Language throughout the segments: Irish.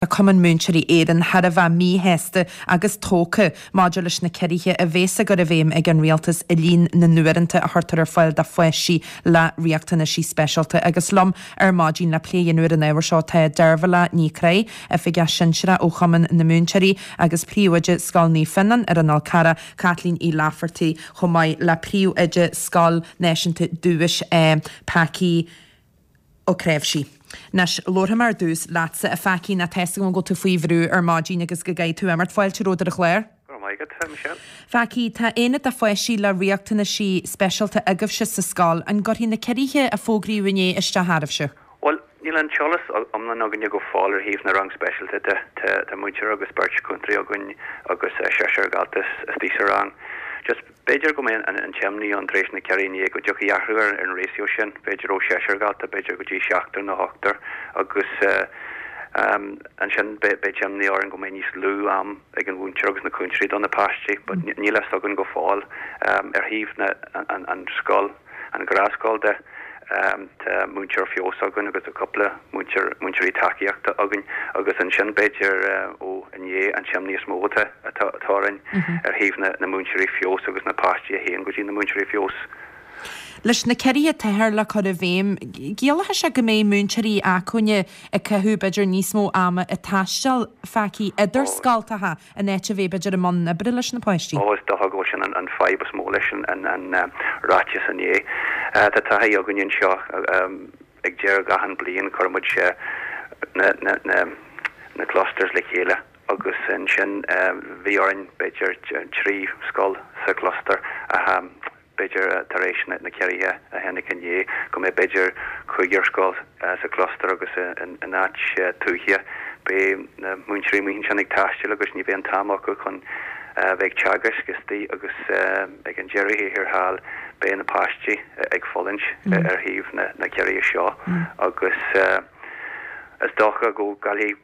Tá Cumann Múinteoirí Éireann thar a bheith míshásta agus tógtha maidir leis na ciorruithe a bhéas á gcur i bhfeidhm ag an Rialtas i líon na n-uaireanta a chuirtear ar fáil do pháistí le riachtanaisí speisialta. Agus liom ar maidin le plé a dhéanamh ar an ábhar seo tá Deirbhile Ní Chroí, Oifigeach Sinsearach ó Chumann na Múinteoirí agus Príomhoide Scoil Naomh Fionnán ar an Fhál Carrach, Caitlín Uí Laifeartaigh, chomh maith le Príomhoide Scoil Náisiúnta Dubhais, Packie Ó Cnáimhsí. Anois, labharfaidh mé ar dtús leatsa, a Phackie, nó tá 'fhios agam go bhfuil tú faoi bhrú ar maidin agus go gcaithfidh tú imeacht. Fáilte romhat ar an chlár. Go raibh maith agat, a Michelle. Phackie, tá aonad de pháistí le riachtanaisí speisialta agaibhse sa scoil. An gcuirfidh na ciorruithe a fógraíodh inné isteach oraibhse? Bhuel, níl an t-eolas iomlán againne go fóill ar thaobh na rang speisialta de. Tá múinteoir agus beirt chúntóirí againn agus seisear dhalta istigh sa rang. Just B'fhéidir go mbeidh an t-imní ann tar éis na ciorruithe inné go dtiocfaidh athrú ar an ratio sin, b'fhéidir ó sheisear dhalta b'fhéidir go dtí seachtar nó ochtar agus ansin beidh imní orainn go mbeidh níos lú am ag an mhúinteoir agus na cúntóirí do na páistí but níl a fhios againn go fóill. Ar thaobh na an scoil, an ghnáthscoil de, Tá múinteoir feabhais againn agus tá cúpla múinteoir, múinteoirí tacaíochta againn agus ansin b'fhéidir ó inné an t-imní is mó atá atá orainn ar thaobh na na múinteoirí feabhais agus na páistí a théann go dtí na múinteoirí feabhais. Leis na ciorruithe atáthar le cur i bhfeidhm, ciallóidh sé go mbeidh múinteoirí acmhainne ag caitheamh b'fhéidir níos mó ama ag taisteal, Phackie, idir scoltacha in áit a bheith b'fhéidir i mbun oibre leis na páistí. Ó, is dócha go bhfuil sin an fadhb is mó leis an ráiteas inné. Tá taithí againn anseo ag deireadh achan bliain cuireann muid na clusters le chéile agus ansin bhí orainn b'fhéidir 3 scoil sa chluster a b'fhéidir tar éis na ciorruithe a tháinig inné, go mbeidh b'fhéidir cúigear scoil sa chluster agus in áit tuaithe beidh na múinteoirí amuigh ansin ag taisteal agus ní bheidh an t-am acu chun bheith ag teagasc istigh agus ag an deireadh thiar thall beidh na páistí ag fulaingt ar thaobh na ciorruithe seo agus is dócha go gcaillfidh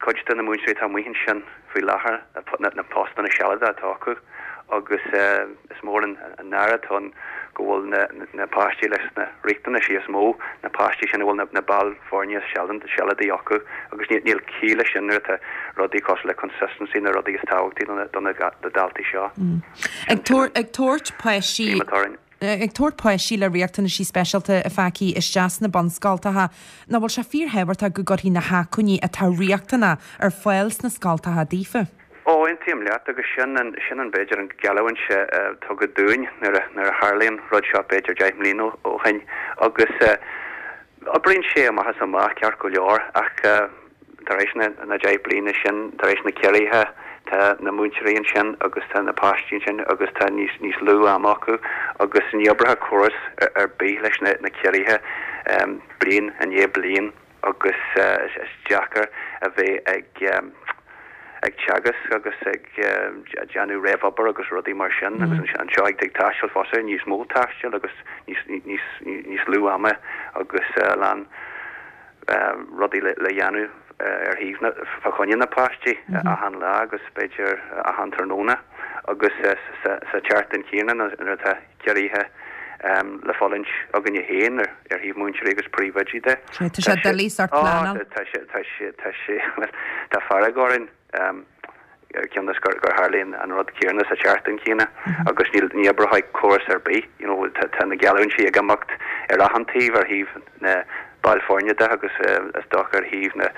cuid de na múinteoirí atá amuigh ansin faoi láthair, na postanna sealadacha atá acu agus is mór an náire atá ann go bhfuil na páistí leis na riachtanaisí is mó, na páistí sin a bhfuil na baill foirne sealadaí acu agus níl ciall leis sin nuair atá rudaí cosúil le consistency na rudaí is tábhachtaí do na daltaí seo. Ag tabhairt páistí. Ag tabhairt páistí le riachtanaisí speisialta, a Phackie, isteach sna bunscoltacha, nach bhfuil sé fíorthábhachtach go gcuirfí na hacmhainní atá riachtanach ar fáil sna scoltacha daofa? Ó, aontaím leat, agus sin an, sin an, b'fhéidir, an geallúint a tugadh dúinn nuair a, nuair a tharlaigh an rud seo b'fhéidir 10 mbliana ó shin. Agus oibríonn sé amach is amach ceart go leor ach, Tar éis na 10 bliana sin, tar éis na ciorruithe, tá na múinteoirí ansin agus tá na páistí ansin agus tá níos níos lú ama acu agus ní oibreoidh córas ar bith leis na ciorruithe bliain i ndiaidh bliain agus is deacair a bheith ag ag teagasc agus ag déanamh réamhobair agus rudaí mar sin agus anseo ag taisteal fosta, níos mó taistil agus níos níos níos lú ama agus a lán rudaí le dhéanamh ar thaobh na, fá choinne na páistí achan lá agus b'fhéidir achan tráthnóna agus sa tseachtain chéanna nuair atá ciorruithe le fulaingt againne féin ar thaobh múinteoirí agus príomhoidí de. Tá sé doiligh sórt pleanáil. Tá sé, tá sé, tá sé, bhuel, tá fearg orainn. cionn is gur tharlaigh an rud céanna sa tseachtain chéanna agus níl, ní oibreoidh córas ar bith, you know, tá na geallúintí ag imeacht ar achan taobh, ar thaobh na baill foirne de agus is dócha ar thaobh na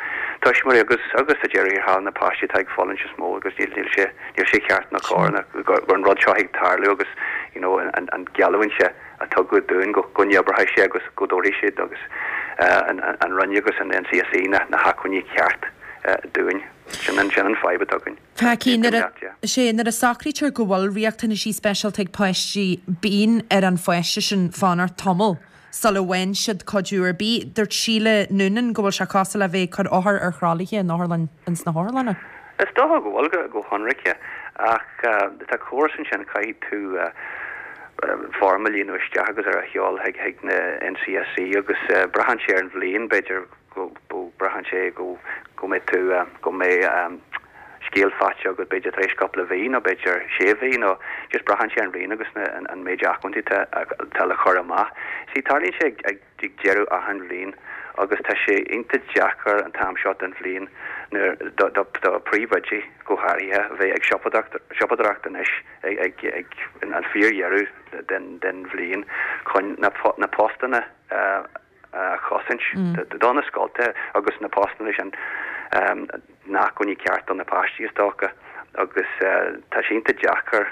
tuismitheoirí agus agus sa deireadh thiar thall na páistí atá ag fulaingt is mó agus níl, níl sé, níl sé ceart ná cóir ná go bhfuil an rud seo ag tarlú agus you know an, an geallúint a tugadh dúinn go, go n-oibreoidh sé agus go dtabharfaidh siad agus an, an Roinn agus an NCSE na, na hacmhainní ceart dúinn. Sin an, sin an fadhb atá againn. Packie, nuair a, sé, nuair a socraítear go bhfuil riachtanaisí speisialta ag páistí, bíonn ar an pháiste sin fanacht tamall sula bhfaigheann siad cuidiú ar bith. Dúirt Síle Noonan go bhfuil sé cosúil le bheith ag cur othar ar throlaithe in otharlann, ins na hotharlanna. Is dócha go bhfuil, go, go hionraice, ach tá córas ansin, caithfidh tú foirm a líonadh isteach agus ar a sheoladh chuig, chuig na NCSE agus braitheann sé ar an bhliain, b'fhéidir, go braitheann sé go mbeidh tú, go mbeidh scéal faighte agat b'fhéidir tar éis cúpla mhí nó b'fhéidir sé mhí nó just braitheann sé ar an bhliain agus an méid acmhainní atá le cur amach. See, tarlaíonn sé ag deireadh achan bhliain. Agus tá sé iontach deacair an t-am seo den bhliain nuair do do príomhoidí go háirithe a bheith ag siopadóireacht anois ag ag an fíordheireadh den den bhliain chun na na postanna a a chosaint do na scoltacha agus na postanna sin na hacmhainní ceart do na páistí is dócha agus tá sé iontach deacair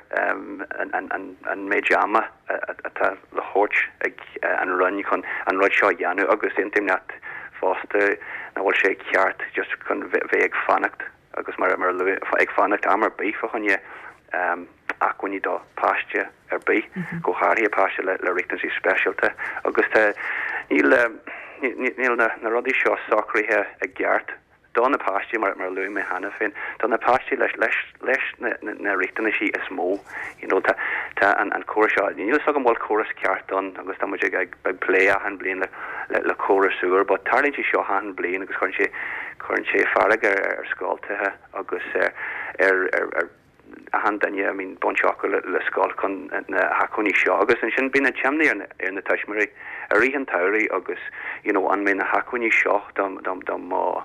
an méid ama atá le thabhairt ag an Roinn chun an rud seo a dhéanamh agus aontaím leat fosta nach bhfuil sé ceart just chun bheith ag fanacht agus mar a luaigh, ag fanacht am ar bith fá choinne acmhainní do pháiste ar bith, go háirithe páiste le riachtanaisí speisialta agus tá, níl, níl na rudaí seo socraithe i gceart do na páistí, mar a luaigh mé cheana féin, do na páistí leis, leis, leis na, na riachtanaisí is mó. You know, tá, tá an, an córas seo, níl a fhios agam an bhfuil córas ceart ann agus tá muid ag, ag, ag plé achan bliain le, le, le córas úr, but tarlaíonn sé seo achan bliain agus cuireann sé, cuireann sé fearg ar, ar scoltacha agus ar, ar, ar, ar achan duine a mbíonn baint acu le scoil chun na hacmhainní seo agus ansin bíonn an t-imní ar ar na tuismitheoirí i rith an tsamhraidh agus you know an mbeidh na hacmhainní seo do do do mo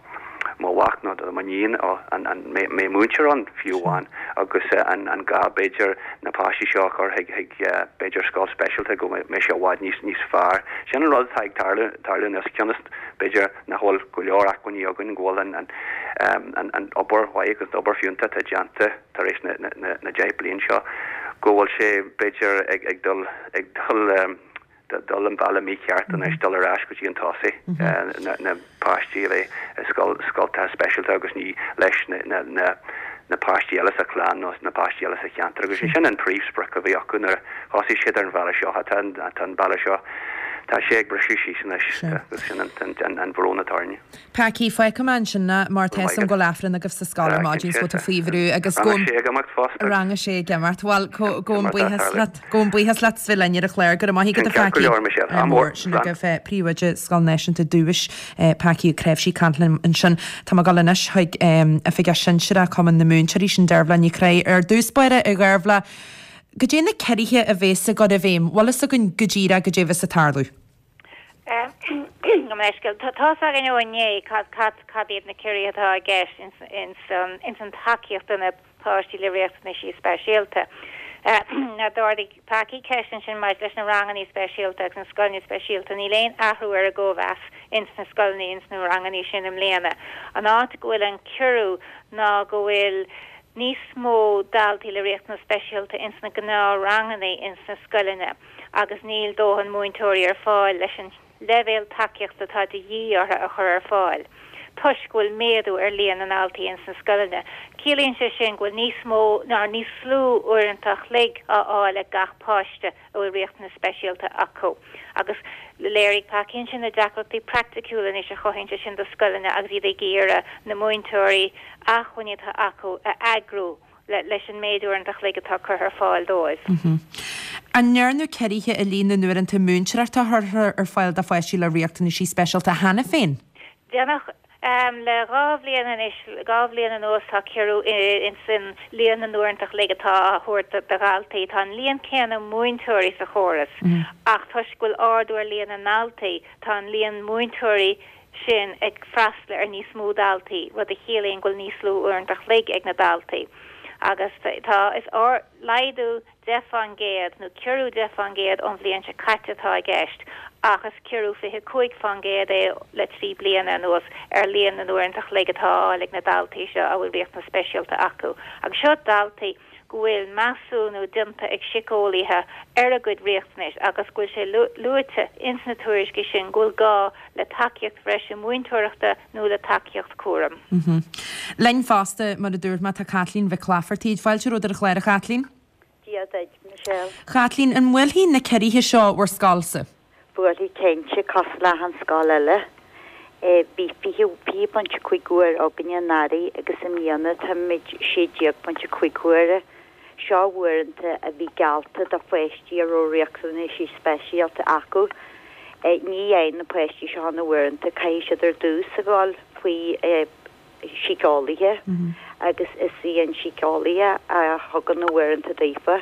mo mhac nó do m'iníon an an mbeidh múinteoir ann fiú amháin agus an an gá b'fhéidir na páistí seo a chur chuig chuig b'fhéidir scoil speisialta go mbeidh sé i bhfad níos níos fearr. Sin an rud atá ag tarlú tarlú anois cionn is b'fhéidir nach bhfuil go leor acmhainní againn, go bhfuil an obair mhaith agus an obair fiúntach atá déanta tar éis na 10 bliain seo, go bhfuil sé b'fhéidir ag dul ag dul dul an bealach mícheart anois, dul ar ais go dtí an tosaigh, na páistí a bheith i scoltacha speisialta agus ní leis na na páistí eile sa chlann nó na páistí eile sa cheantar agus sin an príomhsprioc a bhí acu nuair a thosaigh siad ar an bhealach seo. Tá an bealach seo, tá sé ag briseadh síos anois agus sin an bhrón atá orainne. Packie, fágfaidh mé ansin é mar tá 'fhios a'm go bhfuil Aifreann agaibh sa scoil ar maidin so tá faoi bhrú agus Rang a sé ag imeacht fosta. Rang a sé ag imeacht. Bhuel, gabhaim buíochas leat. Gabhaim buíochas leat as bheith linn ar an chlár. Go raibh maith agat a Ceart go Phackie. leor, Michelle. Ádh mór. Sin agaibh Príomhoide Scoil Náisiúnta Dubhais, Packie Ó Cnáimhsí ag caint linn ansin. Tá mé ag dul anois chuig Oifigeach Sinsearach Chumann na Múinteoirí, sin Dearbhla Ní Chonchúir. Ar dtús báire, a Dhearbhla, goidé na ciorruithe a bhéas ag dul i bhfeidhm? Bhfuil fhios againn go díreach goidé a bheas ag tarlú? Gabh mo leithscéal. Tá's againn ó inné cad cad iad na ciorruithe atá i gceist ins an ins an tacaíocht do na páistí le riachtanaisí speisialta. Now d'ardaigh Packie ceist ansin maidir leis na rangannaí speisialta agus na scoileanna speisialta. Níl aon athrú ar an gcóimheas ins na scoileanna, ins na rangannaí sin i mbliana. An áit go bhfuil an ciorrú ná go bhfuil níos mó daltaí le riachtanas speisialta ins na gnáth-rangannaí ins na scoileanna agus níl dóthain múinteoirí ar fáil leis an leibhéal tacaíochta atá de dhíth orthu a chur ar fáil toisc go bhfuil méadú ar líon na ndaltaí ins na scoileanna. Ciallaíonn sé sin go bhfuil níos mó ná níos lú uaireanta a chloig á fháil ag gach páiste a bhfuil riachtanas speisialta acu. Agus léirigh Packie ansin na deacrachtaí praiticiúla anois a chothaíonn sé sin do scoileanna agus iad ag iarraidh na múinteoirí, acmhainní atá acu a eagrú. leis an méid uaireanta a chloig atá curtha ar fáil dóibh. An ndearnadh ciorruithe i líon na n-uaireanta múinteoireachta a chuirtear ar fáil do pháistí le riachtanaisí speisialta cheana féin? Déanadh. Le 2 bhliain anois, 2 bhliain anuas tá ciorrú ins an líon na n-uaireanta a chloig atá á thabhairt do dhaltaí. Tá an líon céanna múinteoirí sa chóras ach toisc go bhfuil ardú ar líon na ndaltaí, tá an líon múinteoirí sin ag freastal ar níos mó daltaí, rud a chiallaíonn go bhfuil níos lú uaireanta a chloig ag na daltaí. Agus tá, is laghdú 10 fán gcéad, nó ciorrú 10 fán gcéad ón bhliain seo caite atá i gceist, ach is ciorrú 25 fán gcéad é le 3 bliana anuas ar líon na n-uaireanta a chloig atá á fháil ag na daltaí seo a bhfuil riachtanas speisialta acu. Agus seo daltaí go bhfuil measúnú déanta ag síceolaithe ar a gcuid riachtanais agus go bhfuil sé luaite ins na tuairiscí sin go bhfuil gá le tacaíocht bhreise múinteoireachta nó le tacaíocht cúraim. Linn fosta, mar a dúirt mé, tá Caitlín Mhic Laifeartaigh. Fáilte romhat ar an chlár, a Chaitlín. Dia duit, Michelle. Chaitlín, an mbuailfidh na ciorruithe seo bhur scoilsa? Buailfidh cinnte, cosúil le achan scoil eile. Bhí 20.5 uair againne anuraidh agus i mbliana táimid 16.5 huaire. Seo uaireanta a bhí geallta do pháistí a raibh riachtanaisí speisialta acu. Ní fhaigheann na páistí seo na huaireanta, caithfidh siad ar dtús a dhul faoi síceolaithe agus is í an síceolaithe a thugann na uaireanta daofa.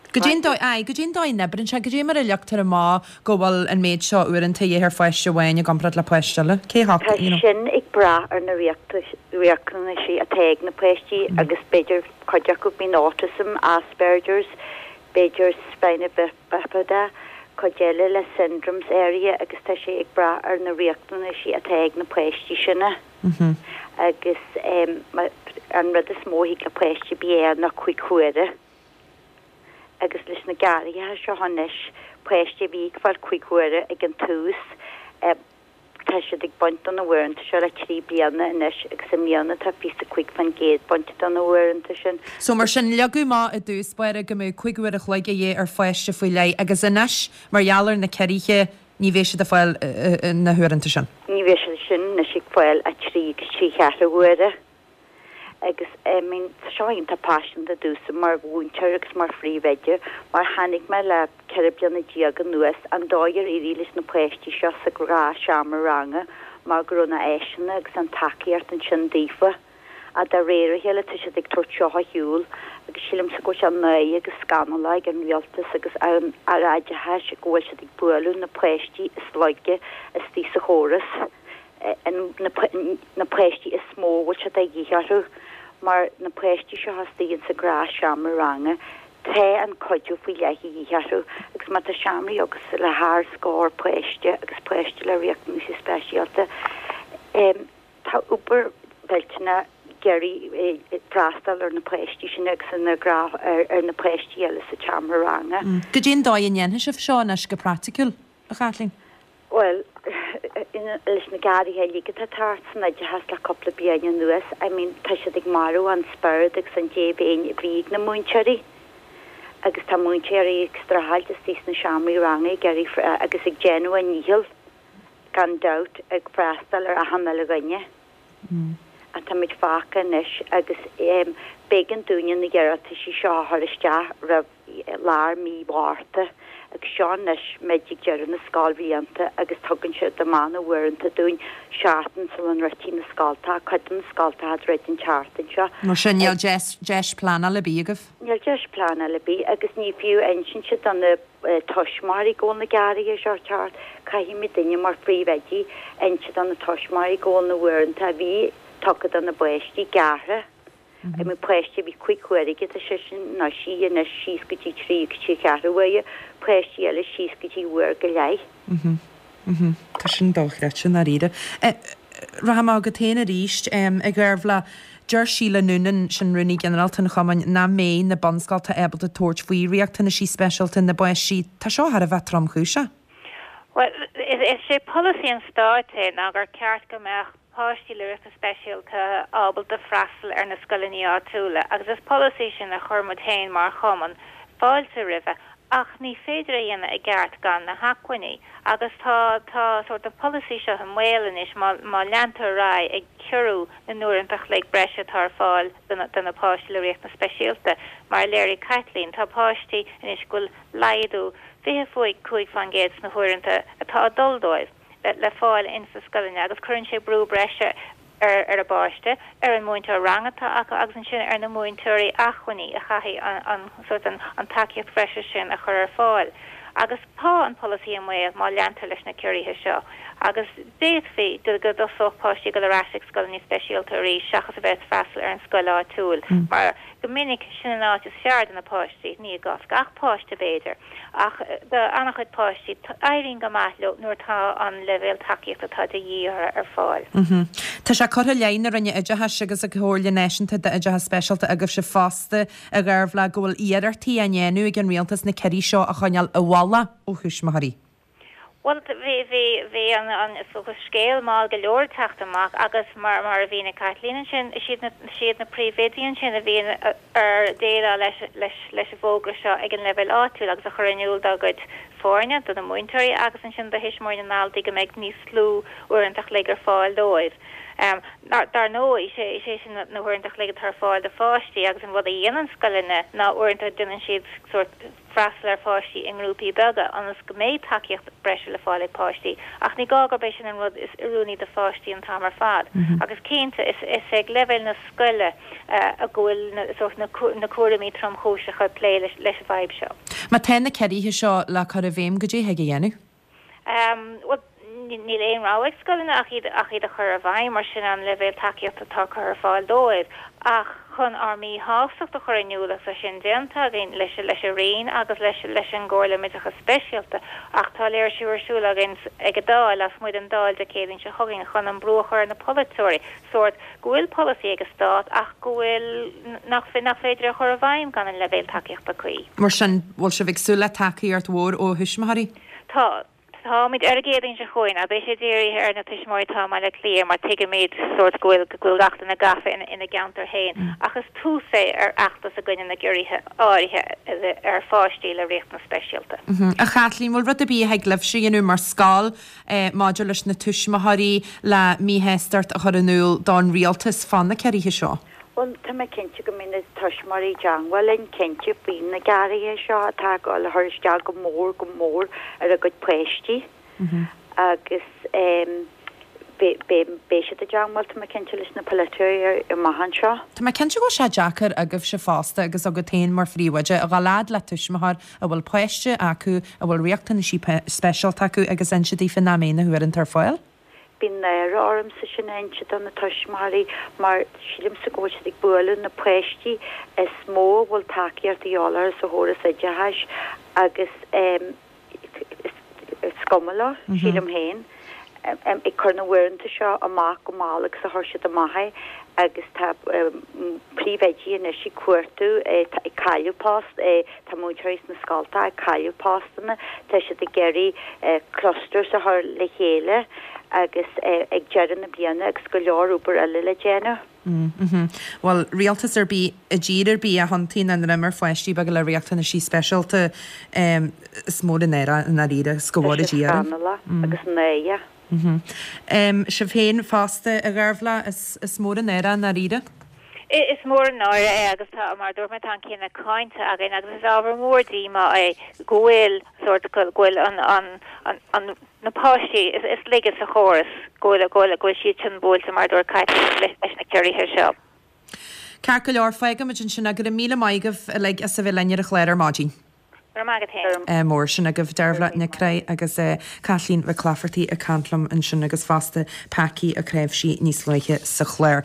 Goidé an dóigh, aye, goidé an dóigh a n-oibríonn sé, goidé mar a leagtar amach go bhfuil an méid seo uaireanta a dhíth ar pháiste amháin i gcomparáid le páiste eile? Cé a Tá you know. sin ag brath ar na riachtanaisí atá ag na páistí agus b'fhéidir cuid acu bíonn autism, Asperger's, b'fhéidir spina bifida, cuid eile le syndromes áirithe agus tá sé ag brath ar na riachtanaisí atá ag na páistí sin. Agus an rud is mó a thig le páiste a bith a fháil ná 5 huaire. Agus leis na gearraithe seo anois, páistí a bhí ag fáil 5 huaire ag an tús, tá siad ag baint de na huaireanta seo le 3 bliana anois agus i mbliana tá 25% bainte de na huaireanta sin. So mar sin, leagadh amach i dtús báire go mbeadh 5 uair a chloig a dhíth ar pháiste faoi leith agus anois, mar gheall ar na ciorruithe, ní bheidh siad ag fáil na huaireanta sin. Ní bheidh siad sin anois ag fáil 3 agus 3 cheathrú uaire. Agus I mean tá seo iontach paiseanta domhsa mar mhúinteoir agus mar phríomhoide mar chonaic mé le 14 bliana anuas an dóigh ar éirigh leis na páistí seo sa ghnáthsheomra ranga mar go raibh na áiseanna agus an tacaíocht ansin daofa. Ach de réir a chéile tá siad ag tabhairt seo ar shiúl agus sílimse go bhfuil sé náireach agus scannalach ag an rialtas agus an Aire Oideachais go bhfuil siad ag bualadh na páistí is laige istigh sa chóras. na páistí is mó a bhfuil sé de dhíth orthu, mar na páistí seo istigh insa ghnáthsheomra ranga, tá an cuidiú faoi leith de dhíth orthu agus má tá seomraí agat le thar scór páiste agus páiste le riachtanaisí speisialta, tá obair mhillteanach ag iarraidh freastal ar na páistí sin agus ar na páistí eile sa tseomra ranga. Goidé an dóigh a ndéanfaidh sibh seo anois go praiticiúil, a Chaitlín? Bhuel, leis na gearraithe uilig atá ag teacht san oideachas le cúpla bliain anuas, I mean, tá siad ag marú an spiorad agus an dea-mhéin a bhí ag na múinteoirí. Agus tá múinteoirí ag streachailt istigh sna seomraí ranga ag iarraidh, agus ag déanamh a ndícheall, gan dabht, ag freastal ar achan uile dhuine. Ach táimid fágtha anois agus b'éigean dúinne na hiarrataisí seo a chur isteach roimh lár mí Mhárta agus seo anois muid ag deireadh na scoilbhlianta agus tugann siad amanna uaireanta dúinn seachtain sula ndruidfidh na scoltacha, cuid de na scoltacha ag druid an tseachtain seo. Mar sin níl deis deis pleanála ar bith agaibh? Níl deis pleanála ar bith agus ní fiú insint do na tuismitheoirí go bhfuil na gearraithe seo ag teacht. Caithfidh muidinne mar phríomhoidí inse do na tuismitheoirí go bhfuil na huaireanta a bhí tugtha do na bpáistí gearrtha. I mean páiste a bhí 5 huaire aige, tá seisean nó sí anois síos go dtí 3 agus trí cheathrú uaire, páistí eile síos go dtí uair go leith. Mhm. Mhm. Tá sin dochreidte, i ndáiríre. Rachaidh mé chugat féin arís, a Dheirbhile. Deir Síle Noonan, sin Rúnaí Ginearálta an Chumainn, nach mbeidh na bunscoltacha ábalta tabhairt faoi riachtanaisí speisialta na bpáistí. Tá seo thar a bheith tromchúiseach. Bhuel, is é polasaí an stáit é ná gur ceart go mbeadh páistí le riachtanais speisialta ábalta freastal ar na scoileanna áitiúla agus is polasaí sin a chuir muid féin mar chumann fáilte roimhe ach ní féidir a dhéanamh i gceart gan na hacmhainní agus tá tá sórt an polasaí seo i mbaol anois má má leantar ar aghaidh ag ciorrú na n-uaireanta a chloig breise atá ar fáil do na do na páistí le riachtanais speisialta. Mar a léirigh Caitlín tá páistí anois go bhfuil laghdú 25% sna huaireanta atá ag dul dóibh. le fáil ins na scoileanna agus cuireann sé brú breise ar ar an bpáiste, ar an múinteoir ranga atá acu agus ansin ar na múinteoirí acmhainní a chaithfidh an an sórt an an tacaíocht bhreise sin a chur ar fáil. Agus tá an polasaí i mbaol má leantar leis na ciorruithe seo agus d'fhéadfaí go go dtosódh páistí ag dul ar ais ag scoileanna speisialta arís seachas a bheith ag freastal ar an scoil áitiúil mar go minic sin an áit is fearr do na páistí, ní i gcás gach páiste b'fhéidir. Ach do an-chuid páistí, éiríonn go maith leo nuair atá an leibhéal tacaíochta atá de dhíth orthu ar fáil. Tá sé curtha i leith na Roinne Oideachais agus an Chomhairle Náisiúnta d'Oideachas Speisialta agaibhse fosta, a Dheirbhile, go bhfuil iarrachtaí á ndéanamh ag an Rialtas na ciorruithe seo a choinneáil i bhfolach ó thuismitheoirí. Bhuel, bhí, bhí, bhí an, an, is dócha, scéal mall go leor ag teacht amach agus mar, mar a mhínigh Caitlín ansin, is iad na, is iad na príomhoidí ansin a bhíonn ar déileáil leis, leis, leis an bhfógra seo ag an leibhéal áitiúil agus a chur in iúl dá gcuid foirne, do na múinteoirí agus ansin do thuismitheoirí na ndaltaí go mbeidh níos lú uaireanta a chloig ar fáil dóibh. Dar ndóigh, is é sin na huaireanta a chloig atá ar fáil do pháistí agus an rud a dhéanann scoileanna ná uaireanta déanann siad sórt freastal ar pháistí i ngrúpaí beaga ionas go mbeidh tacaíocht breise le fáil ag páistí ach ní gá gurb é sin an rud is oiriúnaí do pháistí an t-am ar fad. Agus cinnte, is ag leibhéal na scoile a go bhfuil na sórt na cúraimí tromchúiseacha plé leis an bhfadhb seo. Má tá na ciorruithe seo le cur i bhfeidhm, goidé thig a dhéanamh? Bhuel, níl aon rogha ag scoileanna ach iad ach iad a chur i bhfeidhm, mar sin an leibhéal tacaíochta atá curtha ar fáil dóibh. Ach chun ár míshástacht a chur in iúl, agus tá sin déanta againn leis leis an Roinn agus leis leis an gComhairle um Oideachas Speisialta, ach tá léirsiú ar siúl againn ag an Dáil, lasmuigh den Dáil Dé Céadaoin seo chugainn chun an brú a chur ar na polaiteoirí, sórt go bhfuil polasaí ag an Stát ach go bhfuil nach nach féidir é a chur i bhfeidhm gan an leibhéal tacaíochta cuí. Mar sin, bhfuil sibh ag súil le tacaíocht mhór ó thuismitheoirí? Tá. Táimid ar an gCéadaoin seo chugainn ach beidh sé dírithe ar na tuismitheoirí atá i mBaile Átha Cliath mar tuigimid sórt go bhfuil go bhfuil gach duine gafa ina gceantar féin ach is tús é ar fheachtas i gcoinne na gciorruithe áirithe ar pháistí le riachtanais speisialta. A Chaitlín, bhfuil rud ar bith a thig libhse a dhéanamh mar scoil maidir leis na tuismitheoirí le míshástacht a chur in iúl don rialtas fá na ciorruithe seo? Bhuel, tá mé cinnte go mbeidh na tuismitheoirí i dteangmháil linn, cinnte, faoi na gearraithe seo atá ag dul a chur isteach go mór, go mór ar a gcuid páistí agus beidh, beidh siad i dteangmháil, tá mé cinnte, leis na polaiteoirí amach anseo. Tá mé cinnte go bhfuil sé deacair agaibhse fosta agus agat féin mar phríomhoide a dhul fhad le tuismitheoir a bhfuil páiste acu a bhfuil riachtanaisí speisialta acu agus inse daofa nach mbeidh na huaireanta ar fáil. Bíonn náire ormsa sin a inse do na tuismitheoirí mar sílimse go bhfuil siad ag bualadh na páistí is mó a bhfuil tacaíocht a dhíobháil orthu sa chóras oideachais agus is cuma leo, sílim féin, ag cur na huaireanta seo amach chomh mall agus a chuir siad amach é agus tá príomhoidí anois ag cuartú, ag cailleadh post, Tá múinteoirí sna scolta ag cailleadh postanna, tá siad ag iarraidh clusters a chur le chéile agus ag deireadh na bliana agus go leor obair eile le déanamh. Bhuel, rialtas ar bith i dtír ar bith a thiontaíonn a ndroim ar pháistí beaga le riachtanaisí speisialta, is mór an náire i ndáiríre, is go Tá bhfóire sé Dia orainn. scannalach agus náireach. Sibh féin fosta, a Dheirbhile, is mór an náire i ndáiríre. Is mór an náire é agus tá, mar a dúirt mé, tá an cinneadh cáinte againn agus is ábhar mór díomá é go bhfuil sórt, go bhfuil an, an, an, na páistí is laige sa chóras, go bhfuil, go bhfuil, go bhfuil siad sin buailte, mar a dúirt Caitlín, leis na ciorruithe seo. Ceart go leor, fágfaimid ansin é. Go raibh míle maith agaibh uilig as a bheith linn ar an chlár ar maidin. Go raibh maith agat féin. Mór. Sin agaibh Dearbhla Nic Craith agus Caitlín Mhic Laifeartaigh ag caint liom ansin agus fosta Packie Ó Cnáimhsí níos luaithe sa chlár.